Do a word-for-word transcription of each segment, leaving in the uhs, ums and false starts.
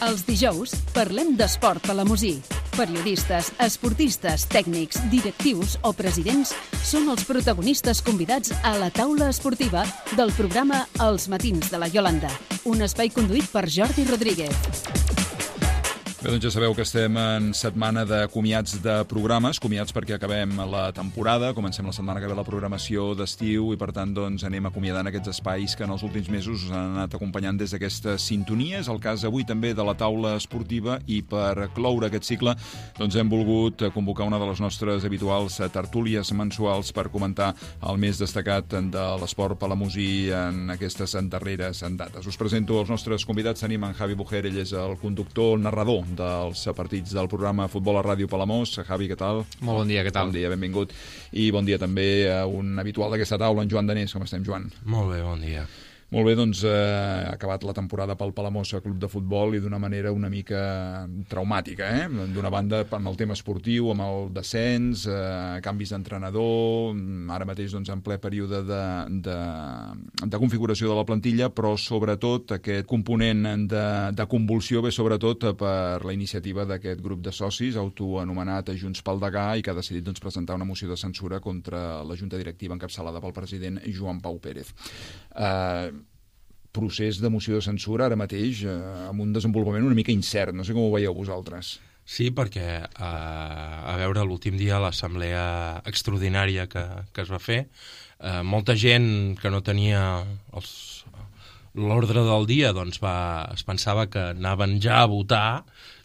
Els dijous parlem d'esport palamosí. Periodistes, esportistes, tècnics, directius o presidents són els protagonistes convidats a la taula esportiva del programa Els matins de la Iolanda, un espai conduït per Jordi Rodríguez. Bé, doncs ja sabeu que estem en setmana de comiats de programes, comiats perquè acabem la temporada, comencem la setmana que ve la programació d'estiu i per tant doncs anem acomiadant aquests espais que en els últims mesos us han anat acompanyant des d'aquesta sintonia. És el cas avui també de la taula esportiva i per cloure aquest cicle doncs hem volgut convocar una de les nostres habituals tertúlies mensuals per comentar el més destacat de l'esport palamosí en aquestes darreres dates. Us presento els nostres convidats. Tenim en Javi Bujer, ell és el conductor, el narrador dels partits del programa Futbol a Ràdio Palamós. Javi, què tal? Molt bon dia, què tal? Bon dia, benvingut. I bon dia també a un habitual d'aquesta taula, en Joan Danés. Com estem, Joan? Molt bé, bon dia. Molt bé, doncs eh, ha acabat la temporada pel Palamós Club de Futbol i d'una manera una mica traumàtica, eh? D'una banda, amb el tema esportiu, amb el descens, eh, canvis d'entrenador, ara mateix doncs, en ple període de, de, de configuració de la plantilla, però sobretot aquest component de, de convulsió ve sobretot per la iniciativa d'aquest grup de socis autoanomenat Junts pel Degà i que ha decidit doncs, presentar una moció de censura contra la Junta Directiva encapçalada pel president Joan Pau Pérez. Eh, procés de moció de censura ara mateix eh, amb un desenvolupament una mica incert. No sé com ho veieu vosaltres. Sí, perquè eh, a veure, l'últim dia l'assemblea extraordinària que, que es va fer, eh, molta gent que no tenia els, l'ordre del dia doncs va, es pensava que anaven ja a votar.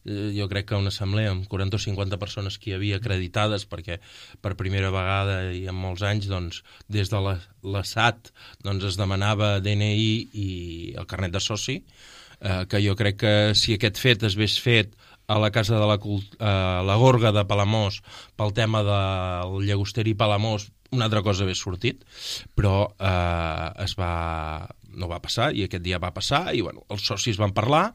Jo crec que una assemblea amb quaranta o cinquanta persones que hi havia acreditades, perquè per primera vegada i en molts anys doncs, des de l'Estat doncs, es demanava D N I i el carnet de soci, eh, que jo crec que si aquest fet es hagués fet a la Casa de la, eh, la Gorga de Palamós pel tema del llagosteri Palamós, una altra cosa hagués sortit, però eh, es va... no va passar, i aquest dia va passar, i bueno, els socis van parlar.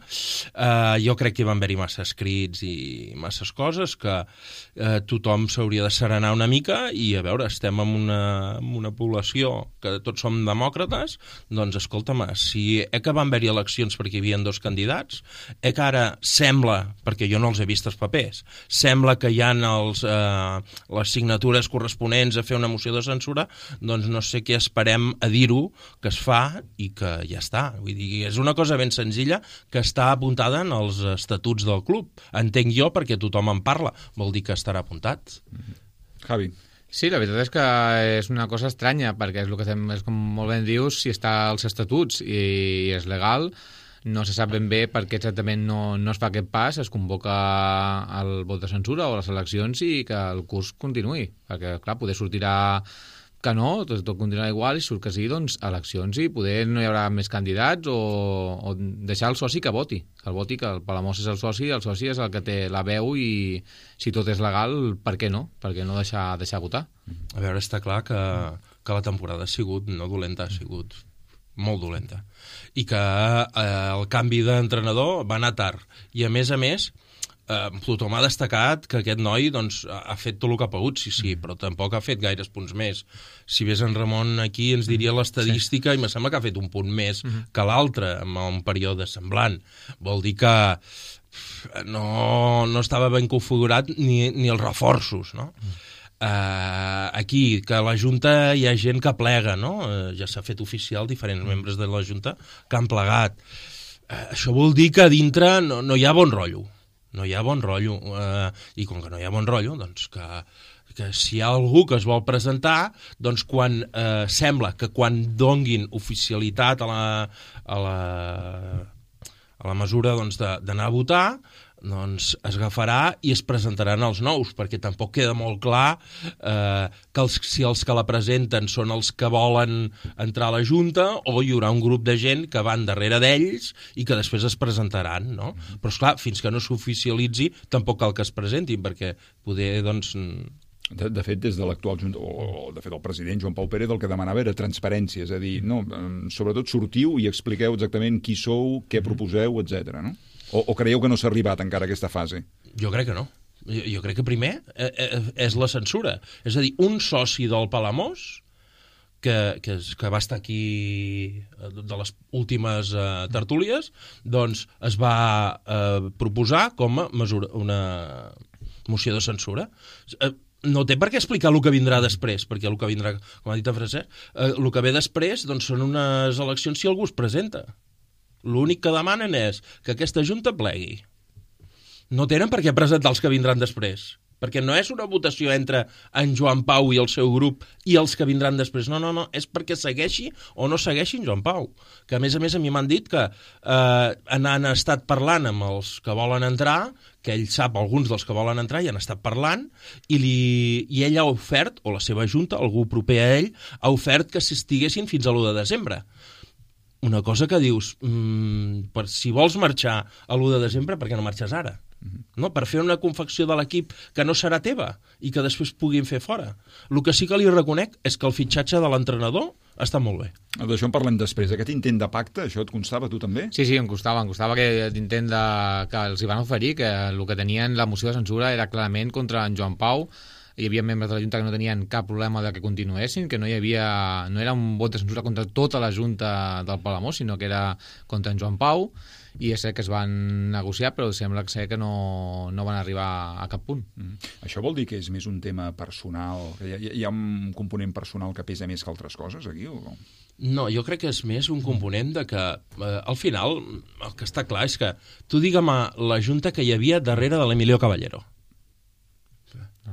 Eh, jo crec que hi van haver-hi massa escrits i masses coses, que eh, tothom s'hauria de serenar una mica, i a veure, estem en una, en una població que tots som demòcrates, doncs escolta'm, si eh que van haver-hi eleccions perquè hi havia dos candidats, eh que ara sembla, perquè jo no els he vist els papers, sembla que hi ha els, eh, les signatures corresponents a fer una moció de censura, doncs no sé què esperem a dir-ho que es fa i que ja està. Vull dir, és una cosa ben senzilla que està apuntada en els estatuts del club. Entenc jo perquè tothom en parla. Vol dir que estarà apuntat. Mm-hmm. Javi. Sí, la veritat és que és una cosa estranya, perquè és el que estem, és com molt ben dius, si està als estatuts i és legal, no se sap ben bé per què exactament no, no es fa aquest pas, es convoca el vot de censura o les eleccions i que el curs continuï. Perquè, clar, poder sortirà que no, tot, tot continuarà igual i surt que sí, doncs eleccions i poder no hi haurà més candidats o, o deixar el soci que voti, que el voti, que el Palamós és el soci, el soci és el que té la veu i si tot és legal, per què no? Per què no deixar, deixar votar? A veure, està clar que, que la temporada ha sigut no dolenta, ha sigut molt dolenta i que eh, el canvi d'entrenador va anar tard i a més a més Uh, tothom ha destacat que aquest noi doncs, ha fet tot el que ha pogut, sí, sí, però tampoc ha fet gaires punts més. Si ves en Ramon aquí ens diria l'estadística sí. I me sembla que ha fet un punt més uh-huh. que l'altre en un període semblant. Vol dir que no, no estava ben configurat ni, ni els reforços, no? Uh-huh. Uh, aquí, que a la Junta hi ha gent que plega, no? Uh, ja s'ha fet oficial diferents membres de la Junta que han plegat. Uh, això vol dir que a dintre no, no hi ha bon rotllo. No hi ha bon rotllo, eh, i com que no hi ha bon rotllo, doncs que, que si hi ha algú que es vol presentar, doncs quan eh, sembla que quan donguin oficialitat a la, a la, a la mesura doncs, d'anar a votar, doncs es agafarà i es presentaran els nous, perquè tampoc queda molt clar eh, que els, si els que la presenten són els que volen entrar a la Junta o hi haurà un grup de gent que van darrere d'ells i que després es presentaran, no? Però esclar, fins que no s'oficialitzi tampoc cal que es presentin, perquè poder, doncs... De, de fet, des de l'actual Junta, o de fet el president Joan Pau Pérez el que demanava era transparència, és a dir, no, sobretot sortiu i expliqueu exactament qui sou, què proposeu, etcètera, no? O, o creieu que no s'ha arribat encara a aquesta fase? Jo crec que no. Jo, jo crec que primer eh, eh, és la censura. És a dir, un soci del Palamós que, que, que va estar aquí de les últimes uh, tertúlies, doncs es va uh, proposar com a mesura, una moció de censura. Uh, no té per què explicar el que vindrà després, perquè el que vindrà, com ha dit en Francesc, uh, el que ve després doncs, són unes eleccions si algú es presenta. L'únic que demanen és que aquesta junta plegui. No tenen per què presentar els que vindran després, perquè no és una votació entre en Joan Pau i el seu grup i els que vindran després. No, no, no, és perquè segueixi o no segueixi en Joan Pau. Que, a més a més, a mi m'han dit que eh, han estat parlant amb els que volen entrar, que ell sap alguns dels que volen entrar i han estat parlant, i, li, i ell ha ofert, o la seva junta, algú proper a ell, ha ofert que s'estiguessin fins a l'u de desembre. Una cosa que dius, mmm, per, si vols marxar a l'u de desembre, per què no marxes ara? No? Per fer una confecció de l'equip que no serà teva i que després puguin fer fora. El que sí que li reconec és que el fitxatge de l'entrenador està molt bé. D'això en parlem després. Aquest intent de pacte, això et constava tu també? Sí, sí, em costava. Em costava que l'intent de... que els hi van oferir, que el que tenien la moció de censura era clarament contra en Joan Pau. Hi havia membres de la Junta que no tenien cap problema de que continuessin, que no hi havia... no era un vot de censura contra tota la Junta del Palamós, sinó que era contra en Joan Pau, i és cert que es van negociar, però sembla que, que no, no van arribar a cap punt. Mm. Això vol dir que és més un tema personal, que hi ha, hi ha un component personal que pesa més que altres coses aquí? O no? No, jo crec que és més un component de que, eh, al final, el que està clar és que tu digue'm la Junta que hi havia darrere de l'Emilio Caballero.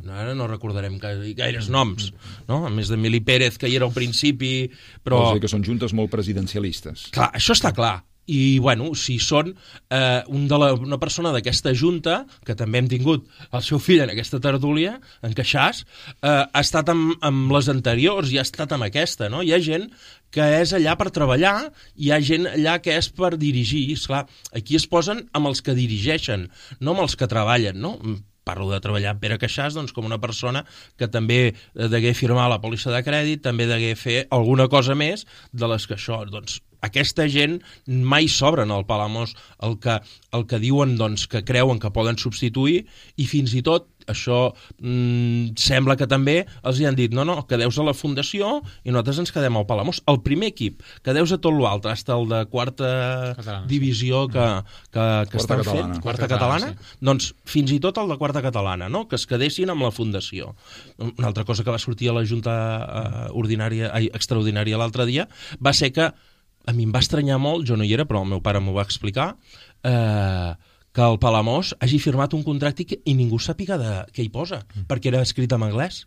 No, ara no recordarem gaires noms, no? A més d'Emili Pérez, que hi era al principi, però... Vols dir que són juntes molt presidencialistes. Clar, això està clar. I, bueno, si són eh, un de la, una persona d'aquesta junta, que també hem tingut el seu fill en aquesta tertúlia, en Queixàs, eh, ha estat amb, amb les anteriors i ha estat amb aquesta, no? Hi ha gent que és allà per treballar, hi ha gent allà que és per dirigir. Esclar, aquí es posen amb els que dirigeixen, no amb els que treballen, no? Parlo de treballar amb Pere Queixàs, doncs, com una persona que també degué firmar la pòlissa de crèdit, també degué fer alguna cosa més de les que això... Doncs, aquesta gent mai s'obren al Palamós el que, el que diuen doncs, que creuen que poden substituir, i fins i tot això mmm, sembla que també els hi han dit no, no, quedeu-vos a la fundació i nosaltres ens quedem al Palamós. El primer equip, quedeu-vos a tot l'altre, fins el de quarta catalana, divisió que, que, que estan catalana. fent, quarta catalana, sí. Doncs fins i tot el de quarta catalana, no? Que es quedessin amb la fundació. Una altra cosa que va sortir a la Junta eh, ordinària, ai, extraordinària l'altre dia va ser que a mi em va estranyar molt, jo no hi era, però el meu pare m'ho va explicar, eh, que el Palamós hagi firmat un contracte i, i ningú sàpiga de què hi posa, mm. perquè era escrit en anglès.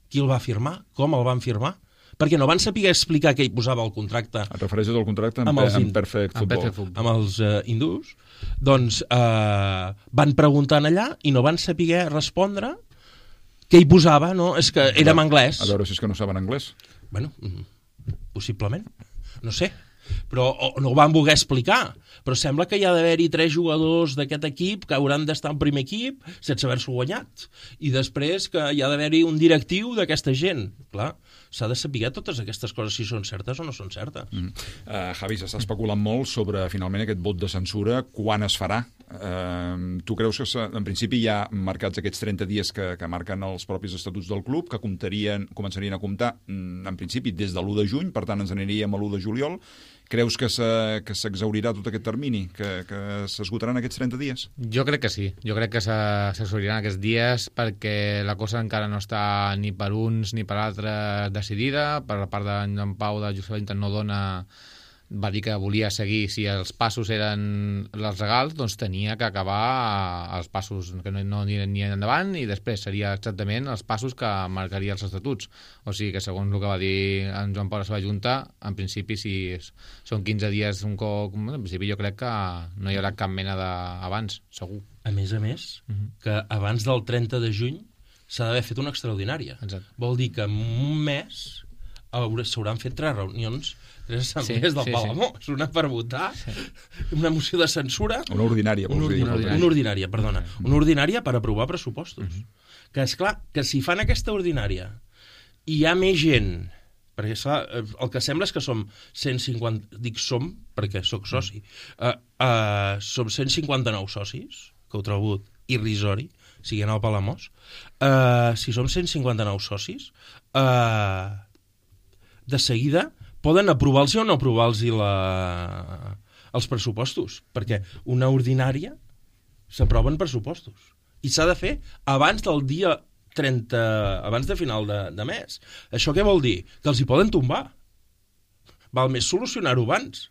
Qui el va firmar? Com el van firmar? Perquè no van saber explicar què hi posava el contracte. Et refereixes al contracte amb, amb, els, amb Perfect Football. Amb els uh, hindús. Doncs eh, van preguntant allà i no van saber respondre què hi posava, no? És que era en anglès. A veure si és que no saben anglès. Bueno, possiblement. No sé, però no ho van voler explicar, però sembla que hi ha d'haver-hi tres jugadors d'aquest equip que hauran d'estar al primer equip sense haver-s'ho guanyat, i després que hi ha d'haver-hi un directiu d'aquesta gent. Clar, s'ha de saber totes aquestes coses si són certes o no són certes. Mm. Uh, Javi, s'està especulant molt sobre finalment aquest vot de censura, quan es farà. Uh, tu creus que en principi hi ha marcats aquests trenta dies que, que marquen els propis estatuts del club, que comptarien, començarien a comptar en principi des de l'u de juny, per tant ens aniríem a l'u de juliol. Creus que s'exhaurirà tot aquest termini, que, que s'esgotaran aquests trenta dies? Jo crec que sí, jo crec que s'exhauriran aquests dies perquè la cosa encara no està ni per uns ni per altres decidida. Per la part d'en Joan Pau de Josep no dona... va dir que volia seguir, si els passos eren els legals, doncs tenia que acabar els passos que no, no anirien ni endavant, i després seria exactament els passos que marcaria els estatuts. O sigui que, segons el que va dir en Joan Pau a la seva junta, en principi, si són quinze dies un cop, en principi jo crec que no hi haurà cap mena d'abans, segur. A més a més, uh-huh. que abans del trenta de juny s'ha d'haver fet una extraordinària. Exacte. Vol dir que en un mes s'hauran fet tres reunions, tres assemblees sí, del sí, Palamós, sí. Una per votar, sí. Una moció de censura... Una ordinària, vols una, dir. Una ordinària, una ordinària perdona. Una ordinària per aprovar pressupostos. Uh-huh. Que, esclar, que si fan aquesta ordinària i hi ha més gent, perquè esclar, el que sembla és que som cent cinquanta... Dic som, perquè sóc soci. Uh, uh, som cent cinquanta-nou socis, que ho trobo irrisori, siguent al Palamós. Uh, si som cent cinquanta-nou socis... Uh, de seguida poden aprovar-los o no aprovar-los la... els pressupostos, perquè una ordinària s'aproven pressupostos i s'ha de fer abans del dia trenta, abans de final de, de mes. Això què vol dir? Que els hi poden tombar. Val més solucionar-ho abans,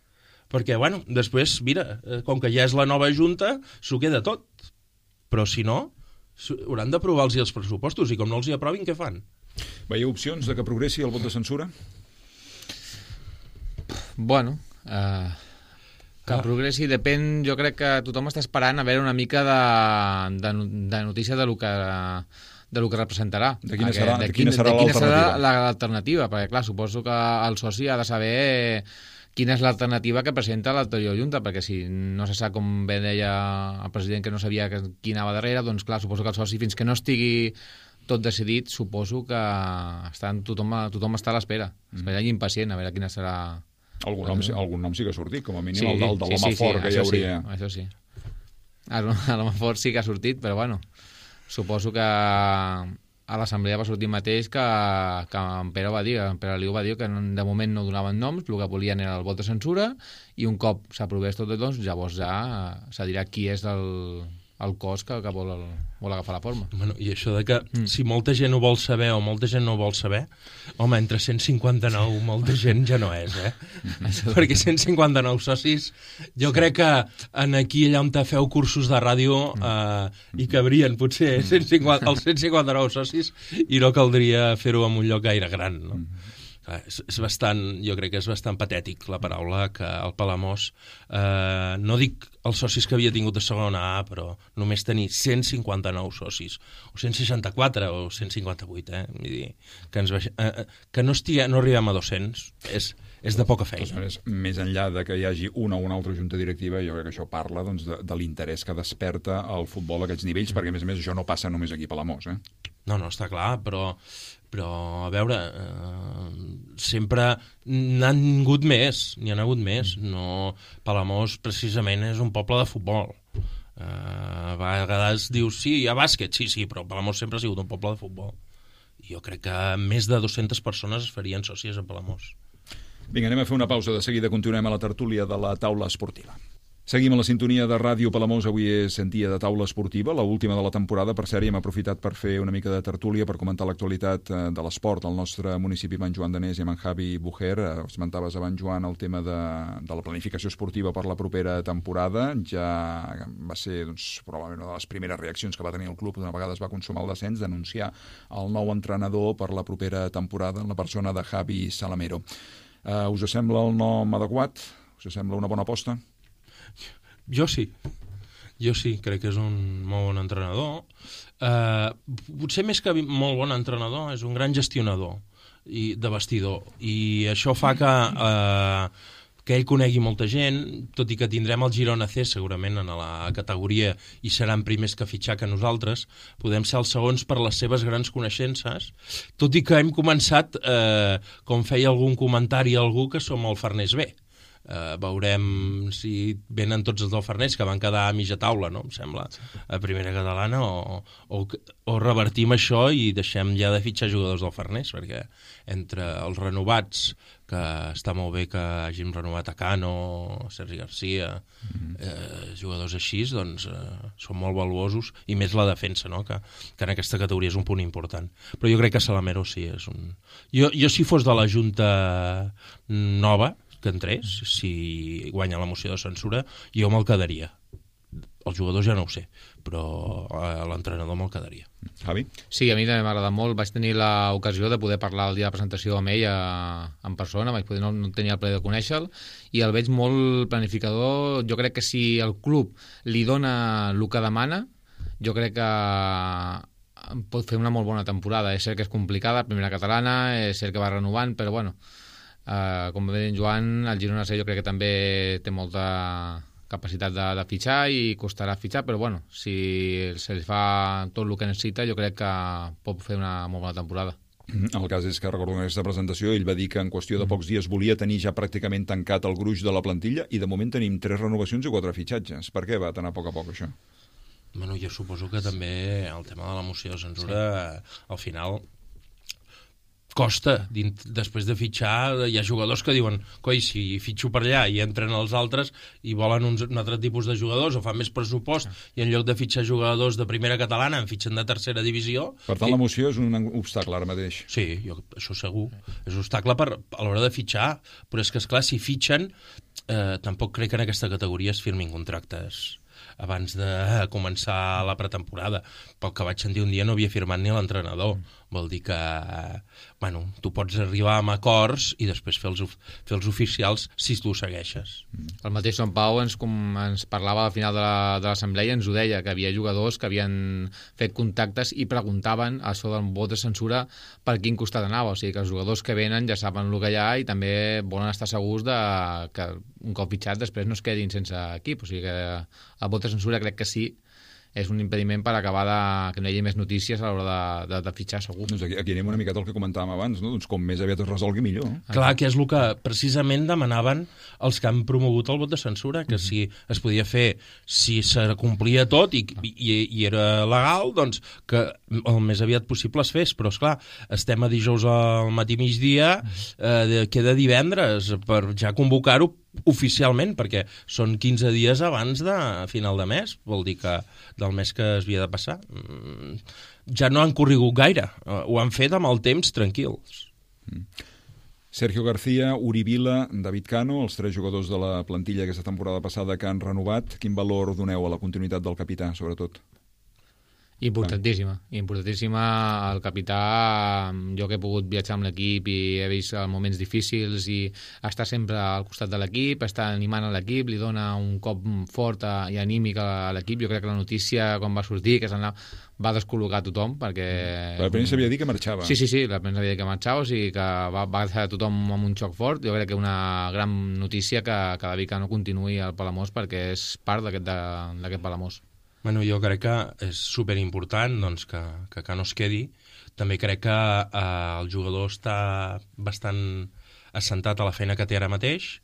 perquè, bueno, després, mira, com que ja és la nova junta, s'ho queda tot. Però, si no, hauran d'aprovar-los els pressupostos, i com no els hi aprovin, què fan? Veieu opcions de que progressi el vot de censura? Bueno, eh, que ah. progressi depèn, jo crec que tothom està esperant a veure una mica de, de, de notícia de lo que... de lo que representarà. De quina serà, de de quina serà l'alternativa? L'alternativa, perquè clar, suposo que el soci ha de saber quina és l'alternativa que presenta l'anterior Junta, perquè si no se sap, com bé deia el president, que no sabia qui anava darrere, doncs clar, suposo que el soci, fins que no estigui tot decidit, suposo que estan, tothom, tothom està a l'espera. Mm. Espera i impacient a veure quina serà... Algun nom, algun nom sí que ha sortit, com a mínim sí, el del de l'home sí, sí, fort, sí, que hi hauria... Sí, això sí. L'home fort sí que ha sortit, però bueno... Suposo que a l'assemblea va sortir mateix que, que en Pere va dir, en Pere Liu va dir que de moment no donaven noms, el que volien era el vot de censura, i un cop s'aprovés tot, doncs llavors ja se dirà qui és el, el cos que, que vol, el, vol agafar la forma. Bueno, i això de que mm. si molta gent ho vol saber o molta gent no ho vol saber, home, entre cent cinquanta-nou molta gent ja no és, eh? Perquè cent cinquanta-nou socis, jo crec que en aquí allà on te feu cursos de ràdio eh, hi cabrien potser cent cinquanta, els cent cinquanta-nou socis i no caldria fer-ho en un lloc gaire gran, no? És, és bastant, jo crec que és bastant patètic la paraula que el Palamós, eh, no dic els socis que havia tingut de segona A, però només tenir cent cinquanta-nou socis, o cent seixanta-quatre o cent cinquanta-vuit, eh? Vull dir, que, ens baix... eh, que no, estigui, no arribem a dos-cents és, és de poca feina. Maneres, més enllà de que hi hagi una o una altra junta directiva, jo crec que això parla doncs, de, de l'interès que desperta el futbol a aquests nivells, perquè a més a més això no passa només aquí a Palamós, eh? No, no, està clar, però, però a veure, eh, sempre n'han hagut més, n'hi han hagut més. No, Palamós precisament és un poble de futbol. Eh, a vegades dius, sí, hi ha bàsquet, sí, sí, però Palamós sempre ha sigut un poble de futbol. I jo crec que més de dues-centes persones es farien sòcies a Palamós. Vinga, anem a fer una pausa, de seguida continuem a la tertúlia de la taula esportiva. Seguim a la sintonia de Ràdio Palamós. Avui és dia de taula esportiva, l'última de la temporada. Per cert, hem aprofitat per fer una mica de tertúlia, per comentar l'actualitat de l'esport al nostre municipi, amb en Joan Danés i amb en Javi Bujer. Esmentaves abans, Joan, el tema de, de la planificació esportiva per la propera temporada. Ja va ser, doncs, probablement una de les primeres reaccions que va tenir el club una vegada es va consumar el descens, d'anunciar el nou entrenador per la propera temporada en la persona de Javi Salamero. Uh, us sembla el nom adequat? Us sembla una bona aposta? Jo sí, jo sí, crec que és un molt bon entrenador. Eh, potser més que molt bon entrenador, és un gran gestionador i, de vestidor, i això fa que, eh, que ell conegui molta gent, tot i que tindrem el Girona C segurament en la categoria i seran primers que fitxar que nosaltres, podem ser els segons per les seves grans coneixences, tot i que hem començat, eh, com feia algun comentari algú, que som el Farners B. Uh, veurem si venen tots els del Farners, que van quedar a mitja taula, no? Em sembla, a primera catalana, o, o, o revertim això i deixem ja de fitxar jugadors del Farners, perquè entre els renovats, que està molt bé que hàgim renovat a Cano, Sergi Garcia, mm-hmm. eh, jugadors així, doncs eh, són molt valuosos, i més la defensa, no? que, que en aquesta categoria és un punt important. Però jo crec que Salamero sí és un... Jo, jo si fos de la Junta nova, que entrés, si guanya la moció de censura, jo me'l quedaria. Els jugadors ja no ho sé, però l'entrenador me'l quedaria. Javi? Sí, a mi també m'agrada molt. Vaig tenir l'ocasió de poder parlar el dia de presentació amb ell a, en persona, vaig poder, no, no tenia el plaer de conèixer-lo, i el veig molt planificador. Jo crec que si el club li dona el que demana, jo crec que pot fer una molt bona temporada. És cert que és complicada, primera catalana, és cert que va renovant, però bueno, Uh, com va dir en Joan, el Girona C jo crec que també té molta capacitat de, de fitxar i costarà fitxar, però bueno, si se li fa tot el que necessita, jo crec que pot fer una molt bona temporada. El cas és que, recordo en aquesta presentació, ell va dir que en qüestió de pocs dies volia tenir ja pràcticament tancat el gruix de la plantilla, i de moment tenim tres renovacions i quatre fitxatges. Per què va anar a poc a poc això? Bueno, jo suposo que també el tema de la moció de censura, sí. Al final costa, després de fitxar hi ha jugadors que diuen, coi, si fitxo per allà i entren els altres i volen uns, un altre tipus de jugadors o fan més pressupost i en lloc de fitxar jugadors de primera catalana en fitxen de tercera divisió. Per tant, i... l'emoció és un obstacle ara mateix. Sí, jo, això segur, és un obstacle per, a l'hora de fitxar, però és que, esclar, si fitxen eh, tampoc crec que en aquesta categoria es firmin contractes abans de començar la pretemporada. Pel que vaig sentir un dia no havia firmat ni l'entrenador. Vol dir que, bueno, tu pots arribar amb acords i després fer els, fer els oficials si tu ho segueixes. El mateix Sant Pau ens, com, ens parlava al final de l'assemblea, ens ho deia, que havia jugadors que havien fet contactes i preguntaven això del vot de censura per quin costat anava. O sigui, que els jugadors que venen ja saben el que hi ha i també volen estar segurs de que un cop fitxat després no es quedin sense equip. O sigui que el vot de censura crec que sí és un impediment per acabar de, que no hi hagi més notícies a l'hora de, de, de fitxar, segur. Doncs aquí, aquí anem una miqueta al que comentàvem abans, no? Doncs com més aviat es resolgui, millor. Ah. Clar, que és el que precisament demanaven els que han promogut el vot de censura, que si es podia fer, si se complia tot i, i, i era legal, doncs que el més aviat possible es fes. Però, esclar, estem a dijous al matí migdia, eh, queda divendres per ja convocar-ho oficialment, perquè són quinze dies abans de final de mes, vol dir que del mes que es havia de passar ja no han corregut gaire, ho han fet amb el temps tranquils. Sergio García, Uri Vila, David Cano, els tres jugadors de la plantilla aquesta temporada passada que han renovat, quin valor doneu a la continuïtat del capità, sobretot? Importantíssima, importantíssima. El capità, jo que he pogut viatjar amb l'equip i he vist moments difícils i està sempre al costat de l'equip, està animant a l'equip, li dona un cop fort i anímic a l'equip. Jo crec que la notícia quan va sortir que va descol·locar tothom perquè... La premsa havia dit que marxava. Sí, sí, sí, la premsa havia dit que marxava, o sigui que va, va deixar tothom amb un xoc fort. Jo crec que una gran notícia que, que David Cano continuï al Palamós perquè és part d'aquest Palamós. Bueno, jo crec que és superimportant doncs, que, que Cano es quedi. També crec que eh, el jugador està bastant assentat a la feina que té ara mateix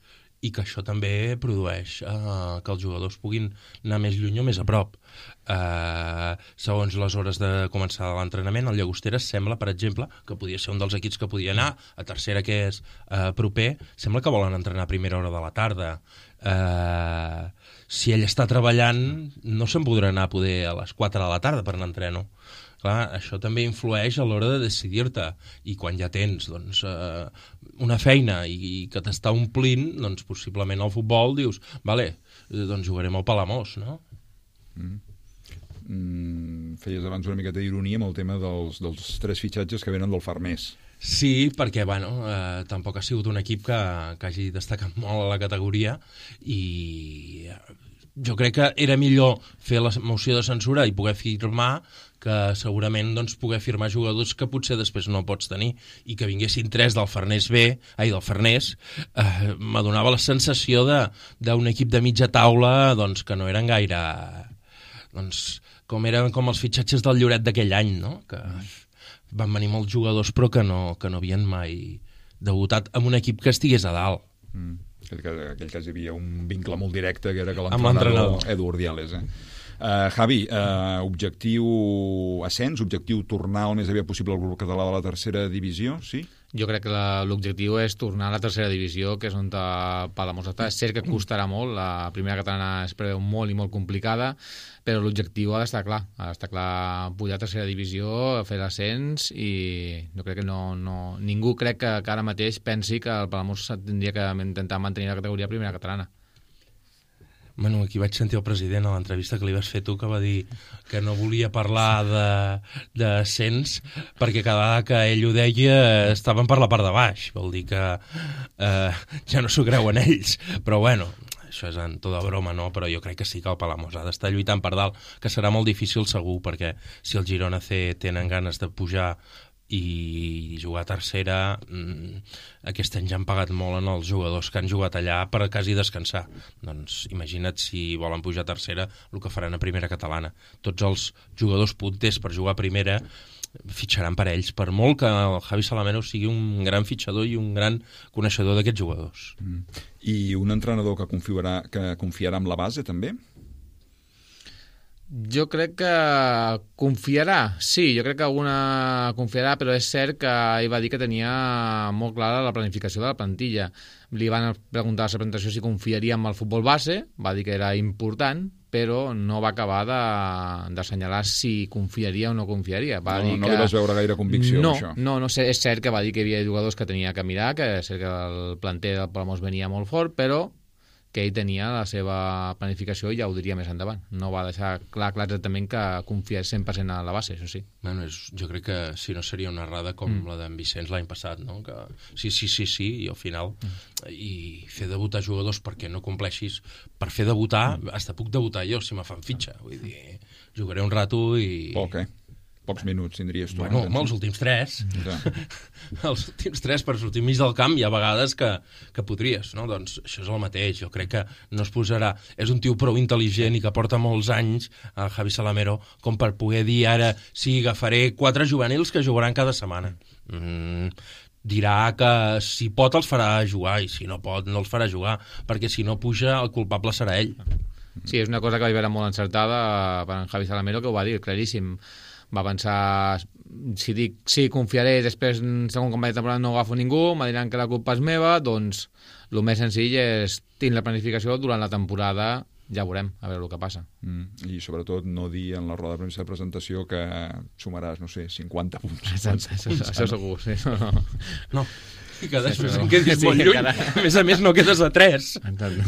i que això també produeix eh, que els jugadors puguin anar més lluny o més a prop. Eh, segons les hores de començar l'entrenament, el Llagosteres sembla, per exemple, que podia ser un dels equips que podia anar a tercera, que és eh, proper, sembla que volen entrenar a primera hora de la tarda. Eh, si ell està treballant, no se'n podrà anar a poder a les quatre de la tarda per anar a entreno. Clar, això també influeix a l'hora de decidir-te, i quan ja tens doncs, eh, una feina i, i que t'està omplint, doncs possiblement al futbol dius, vale, doncs jugarem al Palamós, no? Mm. Mm, feies abans una miqueta d'ironia amb el tema dels, dels tres fitxatges que venen del Farners. Sí, perquè bueno, eh, tampoc ha sigut un equip que, que hagi destacat molt a la categoria i jo crec que era millor fer la moció de censura i poder firmar que segurament doncs, poder firmar jugadors que potser després no pots tenir i que vinguessin tres del Farners B, ai, del Farners, eh, m'adonava la sensació d'un equip de mitja taula doncs, que no eren gaire... Doncs, com eren com els fitxatges del Lloret d'aquell any, no? Que van venir molts jugadors però que no, que no havien mai debutat amb un equip que estigués a dalt. Mm. En aquell cas hi havia un vincle molt directe que era que l'entrenador Edu Ordiales. Eh? Uh, Javi, uh, objectiu ascens, objectiu tornar el més aviat possible al grup català de la tercera divisió, sí? Jo crec que l'objectiu és tornar a la tercera divisió, que és on Palamós està. És cert que costarà molt, la primera catalana es preveu molt i molt complicada, però l'objectiu ha d'estar clar, ha d'estar clar pujar a tercera divisió, fer l'ascens, i jo crec que no, no, ningú crec que, que ara mateix pensi que el Palamós tindria que intentar mantenir la categoria primera catalana. Bueno, aquí vaig sentir el president a l'entrevista que li vas fer tu, que va dir que no volia parlar d'ascens perquè cada vegada que ell ho deia estaven per la part de baix. Vol dir que eh, ja no s'ho creuen ells. Però bueno, això és en tota broma, no? Però jo crec que sí que el Palamós ha d'estar lluitant per dalt, que serà molt difícil segur, perquè si el Girona C tenen ganes de pujar i jugar a tercera, mmm, aquest any ja han pagat molt en els jugadors que han jugat allà per quasi descansar. Doncs imagina't si volen pujar a tercera el que faran a primera catalana. Tots els jugadors punters per jugar a primera fitxaran per ells, per molt que el Javi Salamero sigui un gran fitxador i un gran coneixedor d'aquests jugadors. Mm. I un entrenador que confiarà, que confiarà amb la base també? Jo crec que confiarà, sí, jo crec que alguna confiarà, però és cert que ell va dir que tenia molt clara la planificació de la plantilla. Li van preguntar a la presentació si confiaria en el futbol base, va dir que era important, però no va acabar d'assenyalar si confiaria o no confiaria. Va no dir no que... li vas veure gaire convicció, no, això. No, no sé, és cert que va dir que hi havia jugadors que tenia que mirar, que és cert que el planter del Palamós venia molt fort, però que ell tenia la seva planificació i ja ho diria més endavant. No va deixar clar, clar exactament que confia cent per cent a la base, això sí. Bueno, és, jo crec que si no seria una errada com mm. la d'en Vicenç l'any passat, no? Que sí, sí, sí, sí, i al final mm. i fer debutar jugadors perquè no compleixis, per fer debutar, mm. hasta puc debutar jo si me fan fitxa, vull dir, jugaré un rato i... Poc, eh? Pocs minuts tindries tu. Bueno, home, els últims tres. Ja. Els últims tres per sortir mig del camp hi ha vegades que, que podries, no? Doncs això és el mateix. Jo crec que no es posarà... És un tio prou intel·ligent i que porta molts anys, el Javi Salamero, com per poder dir ara sí, agafaré quatre juvenils que jugaran cada setmana. Mm, dirà que si pot els farà jugar i si no pot no els farà jugar, perquè si no puja el culpable serà ell. Sí, és una cosa que vaig veure molt encertada per en Javi Salamero, que ho va dir claríssim. Va pensar, si dic sí, confiaré, després, segon com va de temporada, no agafo ningú, me diran que la culpa és meva, doncs el més senzill és tenir la planificació durant la temporada, ja veurem, a veure el que passa. Mm, I sobretot no dir en la roda de premsa de presentació que sumaràs, no sé, cinquanta punts. Exacte, això, punts, això segur, sí. No, no. no. I que després sí, en quedis molt lluny. A més a més, no quedes a tres.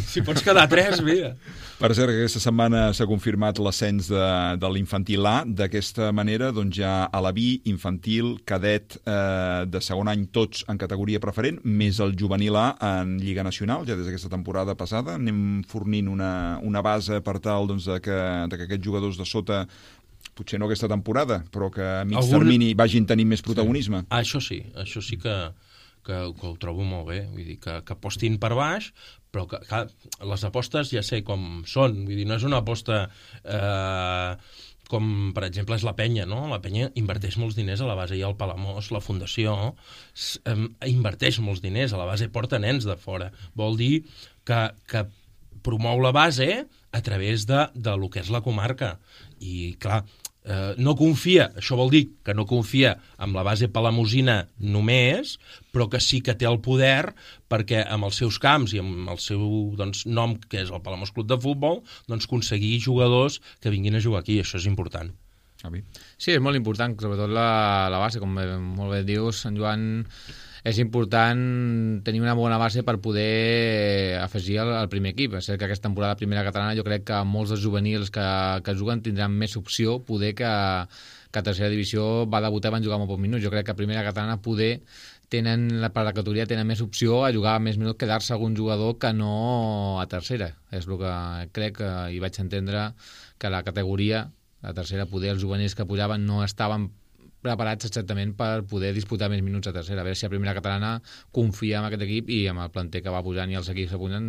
Si pots quedar a tres, mira. Per cert, aquesta setmana s'ha confirmat l'ascens de, de l'infantil A. D'aquesta manera, doncs ja a la B, infantil, cadet eh, de segon any, tots en categoria preferent, més el juvenil A en Lliga Nacional, ja des d'aquesta temporada passada. Anem fornint una, una base per tal doncs, de, que, de que aquests jugadors de sota, potser no aquesta temporada, però que a mig Algun... termini vagin tenint més protagonisme. Sí. Això sí, això sí que... Que, que ho trobo molt bé, vull dir, que, que apostin per baix, però que, que les apostes ja sé com són, vull dir, no és una aposta eh, com, per exemple, és la Penya, no? La Penya inverteix molts diners a la base, i el Palamós, la Fundació, eh, inverteix molts diners a la base, porta nens de fora. Vol dir que, que promou la base a través de, de lo que és la comarca. I, clar, Eh, no confia, això vol dir que no confia en la base palamosina només, però que sí que té el poder perquè amb els seus camps i amb el seu doncs, nom, que és el Palamós Club de Futbol, doncs aconseguir jugadors que vinguin a jugar aquí. Això és important. Sí, és molt important, sobretot la, la base, com molt bé dius, en Joan. És important tenir una bona base per poder afegir al, al primer equip. És cert que aquesta temporada primera catalana jo crec que molts dels juvenils que, que juguen tindran més opció, poder que, que a tercera divisió va debutar i van jugar molt pocs minuts. Jo crec que a primera catalana poder tenen, per la categoria tenen més opció a jugar més minuts, quedar-se algun jugador que no a tercera. És el que crec i vaig entendre, que la categoria, la tercera, poder els juvenils que pujaven no estaven preparats exactament per poder disputar més minuts a tercera. A veure si a primera catalana confia en aquest equip i amb el planter que va pujant i els equips que pugen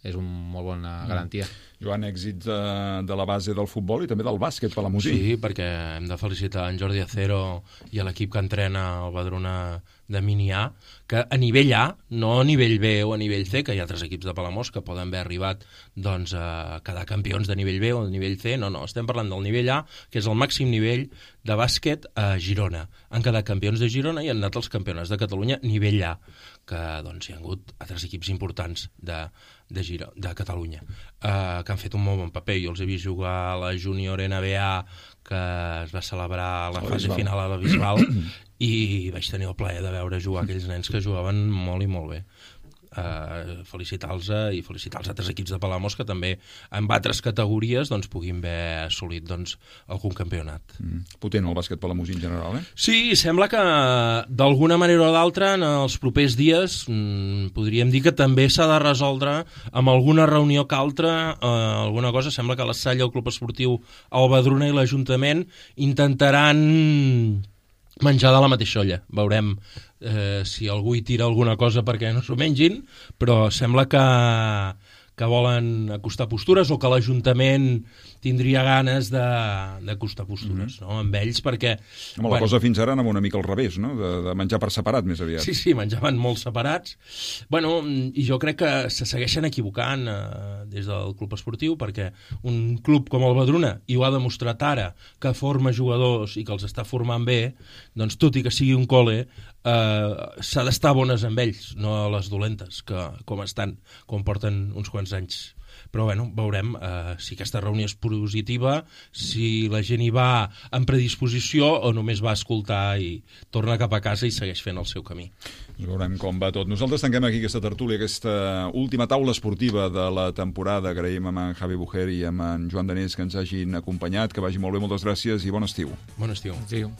és una molt bona garantia. Joan, èxits de, de la base del futbol i també del bàsquet palamosí. Sí, perquè hem de felicitar en Jordi Acero i a l'equip que entrena el Badruna de Mini A, que a nivell A, no a nivell B o a nivell C, que hi ha altres equips de Palamós que poden haver arribat doncs, a quedar campions de nivell B o de nivell C. No, no, estem parlant del nivell A, que és el màxim nivell de bàsquet a Girona. Han quedat campions de Girona i han anat els campionats de Catalunya nivell A, que doncs, hi ha hagut altres equips importants de, de, Giro, de Catalunya, eh, que han fet un molt bon paper. Jo els he vist jugar a la Júnior N B A, que es va celebrar la fase final a la Bisbal, i vaig tenir el plaer de veure jugar aquells nens que jugaven molt i molt bé. Uh, felicitar-los i felicitar els altres equips de Palamós que també en altres categories doncs, puguin haver assolit doncs, algun campionat. Mm. Potent el bàsquet palamosí en general, eh? Sí, sembla que d'alguna manera o d'altra en els propers dies mm, podríem dir que també s'ha de resoldre amb alguna reunió que altra, uh, alguna cosa. Sembla que la Salle, el Club Esportiu el Badruna i l'Ajuntament intentaran menjar de la mateixa olla. Veurem eh, si algú hi tira alguna cosa perquè no s'ho mengin, però sembla que, que volen acostar postures o que l'Ajuntament tindria ganes d'acostar postures, mm-hmm. no? Amb ells, perquè... Home, la bueno, cosa fins ara anava una mica al revés, no? De, de menjar per separat, més aviat. Sí, sí, menjaven molt separats. Bueno, i jo crec que se segueixen equivocant eh, des del club esportiu, perquè un club com el Badruna, i ho ha demostrat ara, que forma jugadors i que els està formant bé, doncs tot i que sigui un col·le, eh, s'ha d'estar bones amb ells, no a les dolentes, que com estan, com porten uns quants anys. Però bueno, veurem eh, si aquesta reunió és positiva, si la gent hi va en predisposició o només va a escoltar i torna cap a casa i segueix fent el seu camí. Veurem com va tot. Nosaltres tanquem aquí aquesta tertúlia, aquesta última taula esportiva de la temporada. Agraïm amb en Javi Bujer i amb en Joan Danés que ens hagin acompanyat, que vagi molt bé, moltes gràcies i bon estiu. Bon estiu. Estiu.